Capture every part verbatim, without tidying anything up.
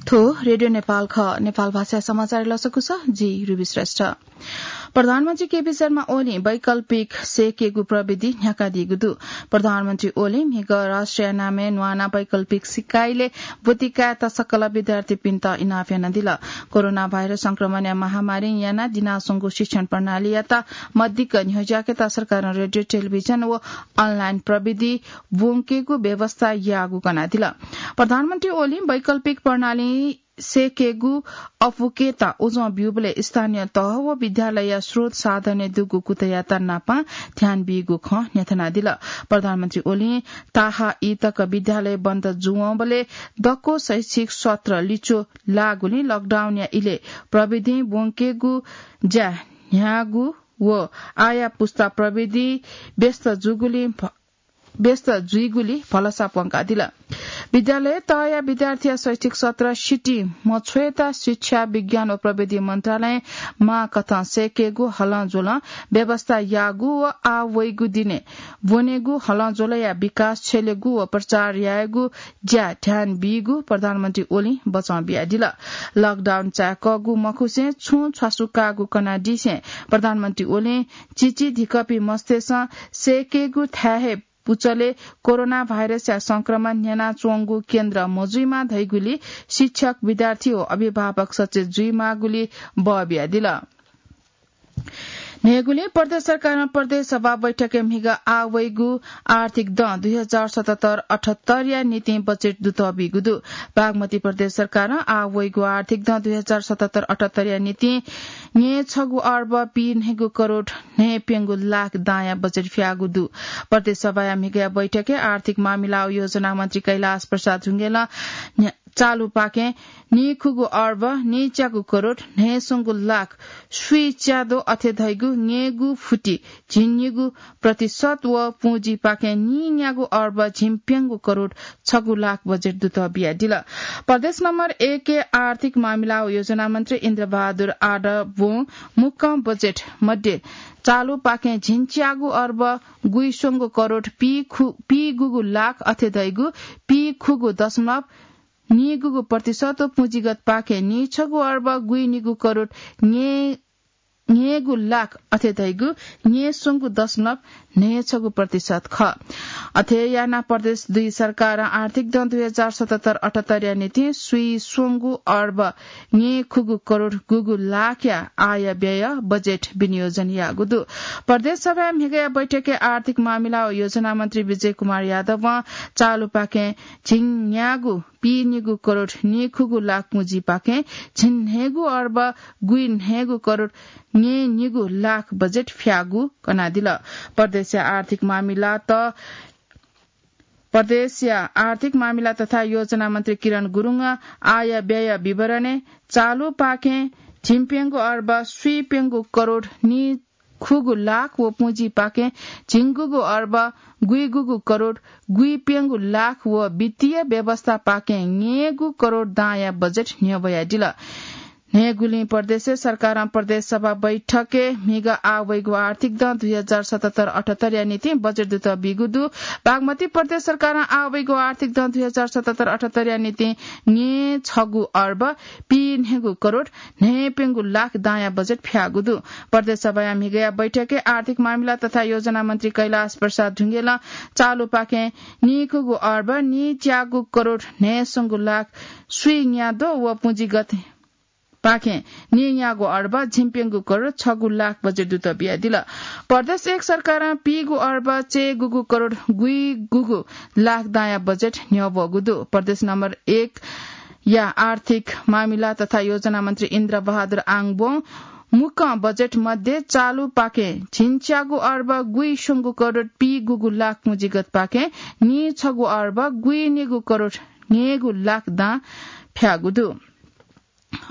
थ्व रेडियो नेपाल खः। नेपाल भाषा समाचार लसकुस, जि रुबी श्रेष्ठ। प्रधानमन्त्री केपी शर्मा ओलीं वैकल्पिक सेकेगु प्रविधि न्ह्याकादीगु दु। प्रधानमन्त्री ओलीं म्हिगः राष्ट्रिय नामय् न्वाना वैकल्पिक सिकाइले ब्वति कायेत सकल विद्यार्थीपिन्त इनाप यानादिल। कोरोना भाइरस संक्रमणया महामारीं यानाः दिनाच्वंगु शिक्षण प्रणालीयात मदिक्क न्ह्यज्याकेत सरकारं रेडियो, टेलिभिजन व अनलाइन प्रविधि ब्वंकेगु व्यवस्था याःगु कनादिल। प्रधानमन्त्री ओलीं वैकल्पिक प्रणाली सेकेगु अपुकेत उजं ब्यूबलय् स्थानीय तह व विद्यालयया स्रोत साधनय् दुगु कुतयात नापं ध्यान बीगु खँ न्ह्यथनादिल। प्रधानमन्त्री ओलीं ताहाई तक विद्यालय बन्द जुवंबलय् दक्व शैक्षिक सत्र लिच्वः लाःगुलिं लकडाउनया इलय् प्रविधिं ब्वंकेगु ज्या न्ह्याःगु व आःया पुस्ता प्रविधि व्यस्त जूगुलिं भ-, व्यस्त जुइगुलि भलसा प्वंकादिल। विद्यालय तहया विद्यार्थीया शैक्षिक सत्र सितिं मछ्वयेत शिक्षा, विज्ञान व प्रविधि मन्त्रालयं माःकथं सेकेगु हलंज्वलं व्यवस्था याःगु व आः वइगु दिने ब्वनेगु हलंज्वलया विकास छ्यलेगु व प्रचार यायेगु ज्या ध्यान बीगु प्रधानमन्त्री ओलीं बचं बियादिल। लकडाउन चाय्कःगु मखुसें छुं छ्वासु काःगु कनादिसें प्रधानमन्त्री ओलीं चिचीधिकःपिं मस्तय्सं सेकेगु थाय् हे पुचलय् कोरोना भाइरसया संक्रमण न्ह्यानाच्वंगु केन्द्र मजुइमा धइगुलि शिक्षक, विद्यार्थी व अभिभावक सचेत जुइमाःगुलि बः बियादिल। न्हय्गुलिं प्रदेश सरकारं प्रदेश सभा बैठकय् म्हिगः आः वइगु आर्थिक दँ दुई हजार सतहत्तर अठहत्तरया निंतिं बजेट दुतः बीगु दु। बागमती प्रदेश सरकारं आः वइगु आर्थिक दँ दुई हजार सतहत्तर अठहत्तरया निंतिं न्यय्छगू अर्ब पीन्हय्गू करोड न्हय्प्यंगू लाख दांया बजेट फ्याःगु दु। प्रदेश सभाया म्हिगःया बैठकय् आर्थिक मामिला व योजना मन्त्री कैलाश प्रसाद ढुङ्गेलं न्ह्या-, चालुपाखें नीखुगू अर्ब नीच्यागू करोड न्हय्स्वंगू लाख स्वीच्याद्वः अथे धइगु न्यय्गू फुति झिंनिगू प्रतिशत व पुँजीपाखें नीन्यागू अर्ब झिंप्यंगू करोड छगू लाख बजेट दुतः बियादिल। प्रदेश नम्बर एकया आर्थिक मामिला व योजना मन्त्री इन्द्रबहादुर आडबं मुक्कं बजेट मध्ये चालुपाखें झिंच्यागू अर्ब गुइस्वंगू करोड पीखु-, पीगुगू लाख अथे धइगु पीखुगू दशमलव नीगुगू प्रतिशत व पुँजीगतपाखें नीछगू अर्ब गुइनिगू करोड न्ये-, न्येगू लाख अथे धइगु न्येस्वंगू दशमलव न्हय्छगू प्रतिशत खः। अथे यानाः प्रदेश दुई सरकारं आर्थिक दँ दुई हजार सतहत्तर अठहत्तरया निंतिं स्वीस्वंगू अर्ब न्येखुगू करोड गुगू लाखया आय व्यय बजेट विनियोजन याःगु दु। प्रदेश सभाया म्हिगःया बैठकय् आर्थिक मामिला व योजना मन्त्री विजय कुमार यादवं चालुपाखें झिंन्यागू पीनिगू करोड नीखुगू लाख पुँजीपाखें झिंन्हय्गू अर्ब गुइन्हय्गू करोड न्येनिगू लाख बजेट फ्याःगु कनादिल। प्रदेशया आर्थिक मामिला त-, प्रदेशया आर्थिक मामिला तथा योजना मन्त्री किरण गुरुङं आय व्यय विवरणय् चालुपाखें झिंप्यंगू अर्ब स्वीप्यंगू करोड नी खुगू लाख व पुँजीपाखें झिंगुगू अर्ब गुइगुगू करोड गुइप्यंगू लाख व वित्तीय व्यवस्थापाखें न्येगू करोड दांया बजेट न्ह्यब्वयादिल। न्हय्गुलिं प्रदेश सरकारं प्रदेश सभा बैठकय् म्हिगः आः वइगु आर्थिक दँ दुई हजार सतहत्तर अठहत्तरया निंतिं बजेट दुतः बीगु दु। बागमती प्रदेश सरकारं आः वइगु आर्थिक दँ दुई हजार सतहत्तर अठहत्तरया निंतिं न्येछगू अर्ब पीन्हय्गू करोड न्हय्प्यंगू लाख दांया बजेट फ्याःगु दु। प्रदेश सभाया म्हिगःया बैठकय् आर्थिक मामिला तथा योजना मन्त्री कैलाश प्रसाद ढुङ्गेलं चालुपाखें नीखुगू अर्ब नीच्यागू करोड न्हय्स्वंगू लाख स्वीन्याद्वः व पुँजीगतपाखें नीन्यागू अर्ब झिंप्यंगू करोड छगू लाख बजेट दुतः बियादिल। प्रदेश एक सरकारं पीगू अर्ब चय्गुगू करोड गुइगुगू लाख दांया बजेट न्ह्यब्वःगु दु। प्रदेश नम्बर एक या आर्थिक मामिला तथा योजना मन्त्री इन्द्र बहादुर आङबों मुक्कं बजेट मध्ये चालुपाखें झिंच्यागू अर्ब गुइस्वंगू करोड पीगुगू लाख पुँजीगतपाखें नीछगू अर्ब गुइनिगू करोड न्येगू लाख दां फ्याःगु दु।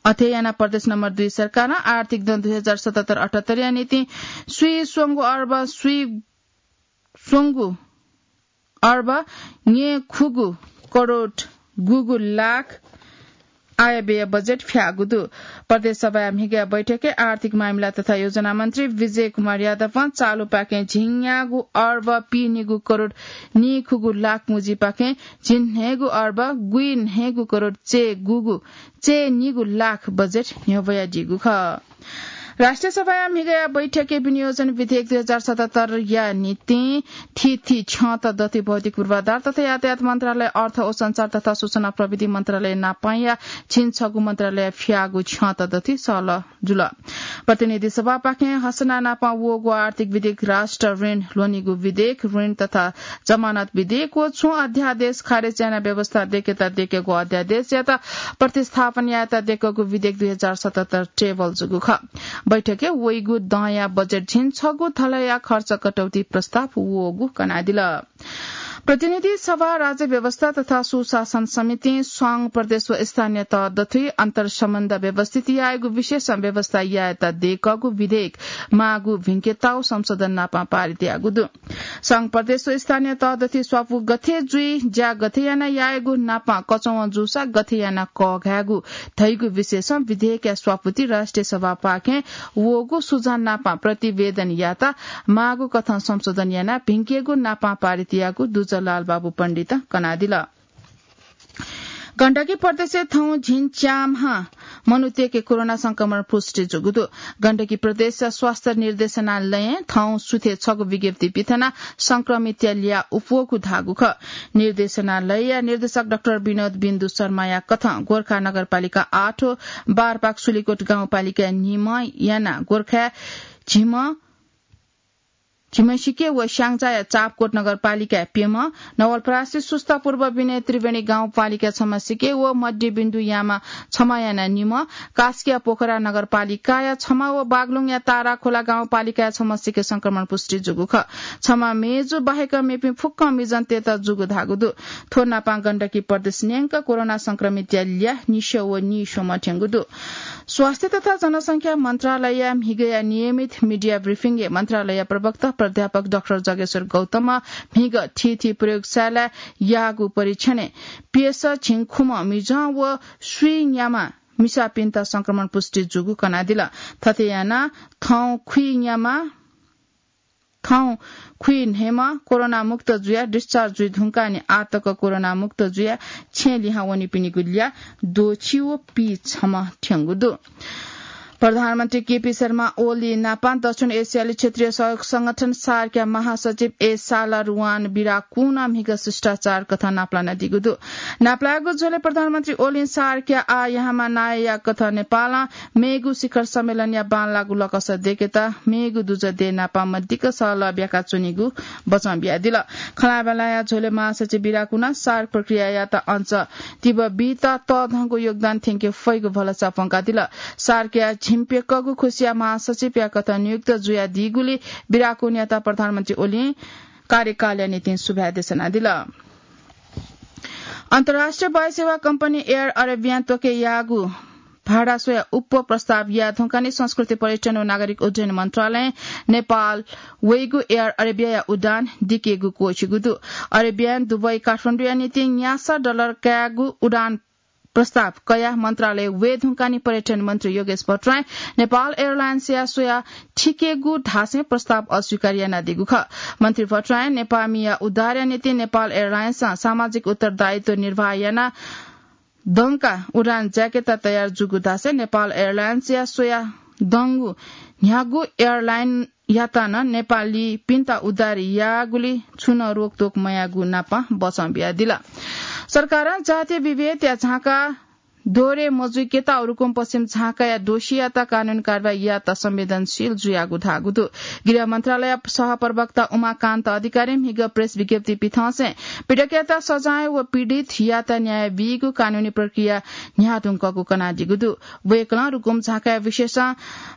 अथे यानाः प्रदेश नम्बर दुई सरकारं आर्थिक दँ दुई हजार सतहत्तर अठहत्तरया निंतिं स्वीस्वंगू अर्ब स्वीस्वंगू अर्ब न्येखुगू करोड गुगू लाख आयव्यय बजेट फ्याःगु दु। प्रदेश सभाया म्हिगया बैठकय् आर्थिक मामिला तथा योजना मन्त्री विजय कुमार यादवं चालुपाखें झिंन्यागू अर्ब पीनिगू करोड नीखुगू लाख मुजीपाखें झिंन्हय्गू अर्ब गुइन्हय्गू करोड चय्गूगू चय्निगू लाख बजेट न्ह्यब्वयादीगु खः। राष्ट्रिय सभाया म्हिगया बैठकय् विनियोजन विधेयक दुई हजार सतहत्तर या निंतिं थीथी छ्यंत दथुइ भौतिक पूर्वाधार तथा यातायात मन्त्रालय, अर्थ व सञ्चार तथा सूचना प्रविधि मन्त्रालय नापांया झिंछगू मन्त्रालय फ्याःगु छ्यंत दथुइ सहलह जुल। प्रतिनिधि सभापाखें हसना नापं वःगु आर्थिक विधेयक, राष्ट्र ऋण ल्ह्वनीगु विधेयक, ऋण तथा जमानत विधेयक व छुं अध्यादेश खारेज याना व्यवस्था दय्केत दय्केगु अध्यादेशयात प्रतिस्थापन यायेत दय्केगु विधेयक दुई हजार सतहत्तर टेबल जूगु खः। बैठकय् वइगु दँया बजेट झिंछगू धलया खर्च कटौती प्रस्ताव वःगु कनादिल। प्रतिनिधि सभा, राज्य व्यवस्था तथा सुशासन समितिं स्वाङ प्रदेश व स्थानीय तह दथुइ अन्तर्सम्बन्ध व्यवस्थित यायेगु विषयसं व्यवस्था यायेत दय्कःगु विधेयक माःगु भिंकेताउ संशोधन नापं पारित याःगु दु। स्वाङ प्रदेश व स्थानीय तह दथुइ स्वापू गथे जुइ, ज्या गथे याना यायेगु नापं कचवं जूसा गथे याना कःघायेगु धइगु विषयसं विधेयकया स्वापूति राष्ट्रिय सभापाखें वःगु सुझाव नापं प्रतिवेदन यात माःगु कथं संशोधन यानाः भिंकेगु नापं पारित याःगु दुजः लालबाबु पण्डितं कनादिल। गण्डकी प्रदेशय् थौं झिंच्याम्ह मनूतय्के कोरोना संक्रमण पुष्टि जूगु दु। गण्डकी प्रदेश स्वास्थ्य निर्देशनालयं थौं सुथय् छगू विज्ञप्ति पिथनाः संक्रमितया ल्याः उप्वःगु धाःगु खः। निर्देशनालयया निर्देशक डाक्टर विनोद बिन्दु शर्माया कथं गोर्खा नगरपालिका आठ व बारपाक सुलिकोट गाउँपालिकाय् निम्ह यानाः गोर्खाय् झिम्ह झिम्ह सिके व स्याङ्जाया चापकोट नगरपालिकाय् प्यम्ह, नवलपरासी सुस्ता पूर्व विनय त्रिवेणी गाउँपालिकाय् छम्ह सिके व मध्यबिन्दु यामा छम्ह याना निम्ह, कास्किया पोखरा नगरपालिकाया छम्ह व बागलुङया ताराखोला गाउँपालिकाया छम्ह सिके संक्रमण पुष्टि जूगु खः। छम्ह मेजु बाहेक मेपिं फुक्कं मिजंतय्त जूगु धाःगु दु। थ्व नापं गण्डकी प्रदेश न्यंक कोरोना संक्रमितया ल्याः निस्यं व नीस्वम्ह थ्यंगु दु। स्वास्थ्य तथा जनसंख्या मन्त्रालयया म्हिगया नियमित media briefing-य् मन्त्रालय प्रवक्ता प्राध्यापक डाक्टर जगेश्वर गौतमं म्हिगः थीथी प्रयोगशालाय् याःगु परीक्षणय् प्यसः झिंखुम्ह मिजं व स्वीन्याम्ह मिसापिन्त संक्रमण पुष्टि जूगु कनादिल। थथे यानाः थौं खुइन्याम्ह थौं खुइन्हय्म्ह कोरोना मुक्त जुयाः discharge जुइ धुंकाः नि आःतक कोरोना मुक्त जुयाः छेँ लिहां वनीपिनिगु ल्याः द्वःछि व पीछम्ह थ्यंगु दु। प्रधानमन्त्री केपी शर्मा ओली नापं दक्षिण एसियाली क्षेत्रीय सहयोग संगठन सार्कया महासचिव ए सालारुवान बिराकुनं म्हिगः शिष्टाचार कथं नापलानादीगु दु। नापलाःगु झ्वलय् प्रधानमन्त्री ओलीं सार्कया आः याहांम्ह नायःया कथं नेपालं मेगु शिखर सम्मेलनया बांलाःगु लकस दय्केत मेगु दुजः देय् नापं मदिक्क सहलह ब्याका च्वनीगु बचं बियादिल। खँल्हाबल्हाया झ्वलय् महासचिव बिराकुनं सार्क प्रक्रियायात अझ तीव्र बीत तःधंगु योगदान थ्यंके फइगु भलसा प्वंकादिल। सार्कया झिंप्यकःगु खुसिया महासचिवया कथं नियुक्त जुयादीगुलिं बिराकुनयात प्रधानमन्त्री ओलीं कार्यकालया निंतिं सुभाय् देछानादिल। अन्तर्राष्ट्रिय वायुसेवा कम्पनी एयर अरेबियां त्वके याःगु भाडा स्वयाः उप्वः प्रस्ताव याये धुंकाः नि संस्कृति, पर्यटन व नागरिक उड्डयन मन्त्रालयं नेपाल वइगु एयर अरेबियाया उडान दिकेगु क्वःछिगु दु। अरेबियां दुबई काठमाडौंया निंतिं न्यासः डलर कायेगु उडान प्रस्ताव कयाः मन्त्रालय वये धुंकाः नि पर्यटन मन्त्री योगेश भट्टराईं नेपाल एयरलाइन्सया स्वयाः थिकेगु धासें प्रस्ताव अस्वीकार यानादीगु खः। मन्त्री भट्टराईं नेपाःमिया उद्धारया निंतिं नेपाल एयरलाइन्सं सामाजिक उत्तरदायित्व निर्वाह यानाः दंकाः उडान जायेकेत तयार जूगु धासें नेपाल एयरलाइन्सया स्वयाः दंगु न्ह्यागु एयरलाइनयात नं नेपालीपिन्त उद्धार याःगुलिं छुं नं रोकतोक मयाःगु नापं बचं बियादिल। सरकारं जातीय विभेदया झाँका दोरे मजुइकेत रुकुम पश्चिम झाँकाया दोषीयात कानूनी कारवाही यायेत संवेदनशील जुयागु धाःगु दु। गृह मन्त्रालय सहप्रवक्ता उमाकान्त अधिकारीं म्हिगः प्रेस विज्ञप्ति पिथंसें पीडकयात सजाय व पीडितयात न्याय बीगु कानूनी प्रक्रिया न्ह्याः धुंकःगु कनादीगु दु। वय्कलं रुकुम झाँकाया विषयसं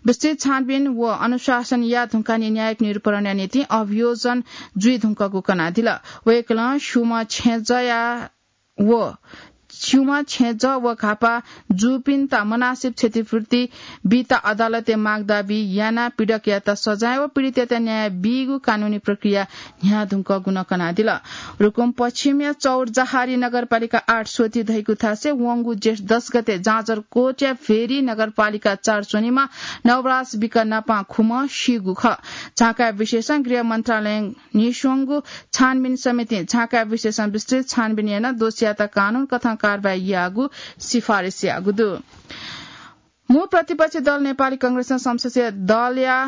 विस्तृत छानबिन व अनुशासन याये धुंकाः नि न्यायिक निरूपणया निंतिं अभियोजन जुइ धुंकःगु कनादिल। वय्कलं स्यूम्ह छेँजःया व छ्युमा छेँजः व घापा जूपिन्त मनासिब क्षतिपूर्ति बीत अदालतय् माग दाबी यानाः पीडकयात सजाय व पीडितयात न्याय बीगु कानूनी प्रक्रिया न्ह्याः धुंकःगु नं कनादिल। रुकुम पश्चिमया चौरजहारी नगरपालिका आठ स्वति धइगु थासय् वंगु जेठ दस गते जाजरकोटया भेरी नगरपालिका चार स्वनिमा नवराज बिक नापां खुम्ह सीगु खः। झाँक्री विशेषं गृह मन्त्रालयं न्ह्यइस्वंगु छानबिन समितिं झाँक्री विशेषं विस्तृत छानबिन यानाः दोषीयात कानून कथं कारवाही यायेगु सिफारिस याःगु दु। मू प्रतिपक्षी दल नेपाली कांग्रेसं संसदीय दलया,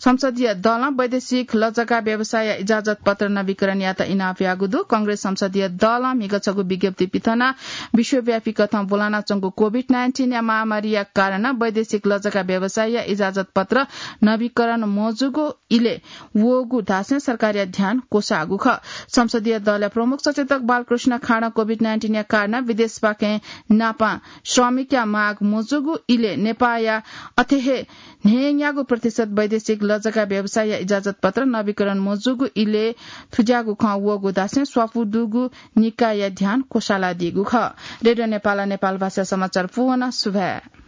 संसदीय दलं वैदेशिक लजगा व्यवसायया इजाजत पत्र नवीकरण यायेत इनाप याःगु दु। कांग्रेस संसदीय दलं म्हिगः छगू विज्ञप्ति पिथनाः विश्वव्यापी कथं ब्वलानाच्वंगु कोभिड नाइन्टिनया महामारीया कारणं वैदेशिक लजगा व्यवसायया इजाजत पत्र नवीकरण मजूगु इलय् वःगु धासें सरकारया ध्यान क्वसाःगु खः। संसदीय दलया प्रमुख सचेतक बालकृष्ण खाँडं कोभिड नाइन्टिनया कारणं विदेशपाखें नापां श्रमिकया माग मजूगु इलय् नेपाःया अथे हे न्हय्‌न्यागू प्रतिशत वैदेशिक लजगा व्यवसायया इजाजत पत्र नवीकरण मजूगु इलय् थुज्याःगु खँ वःगु धासें स्वापू दुगु निकायया ध्यान क्वसालादीगु खः। रेडियो नेपालं नेपाल भाषा समाचार पूवना। सुभाय्।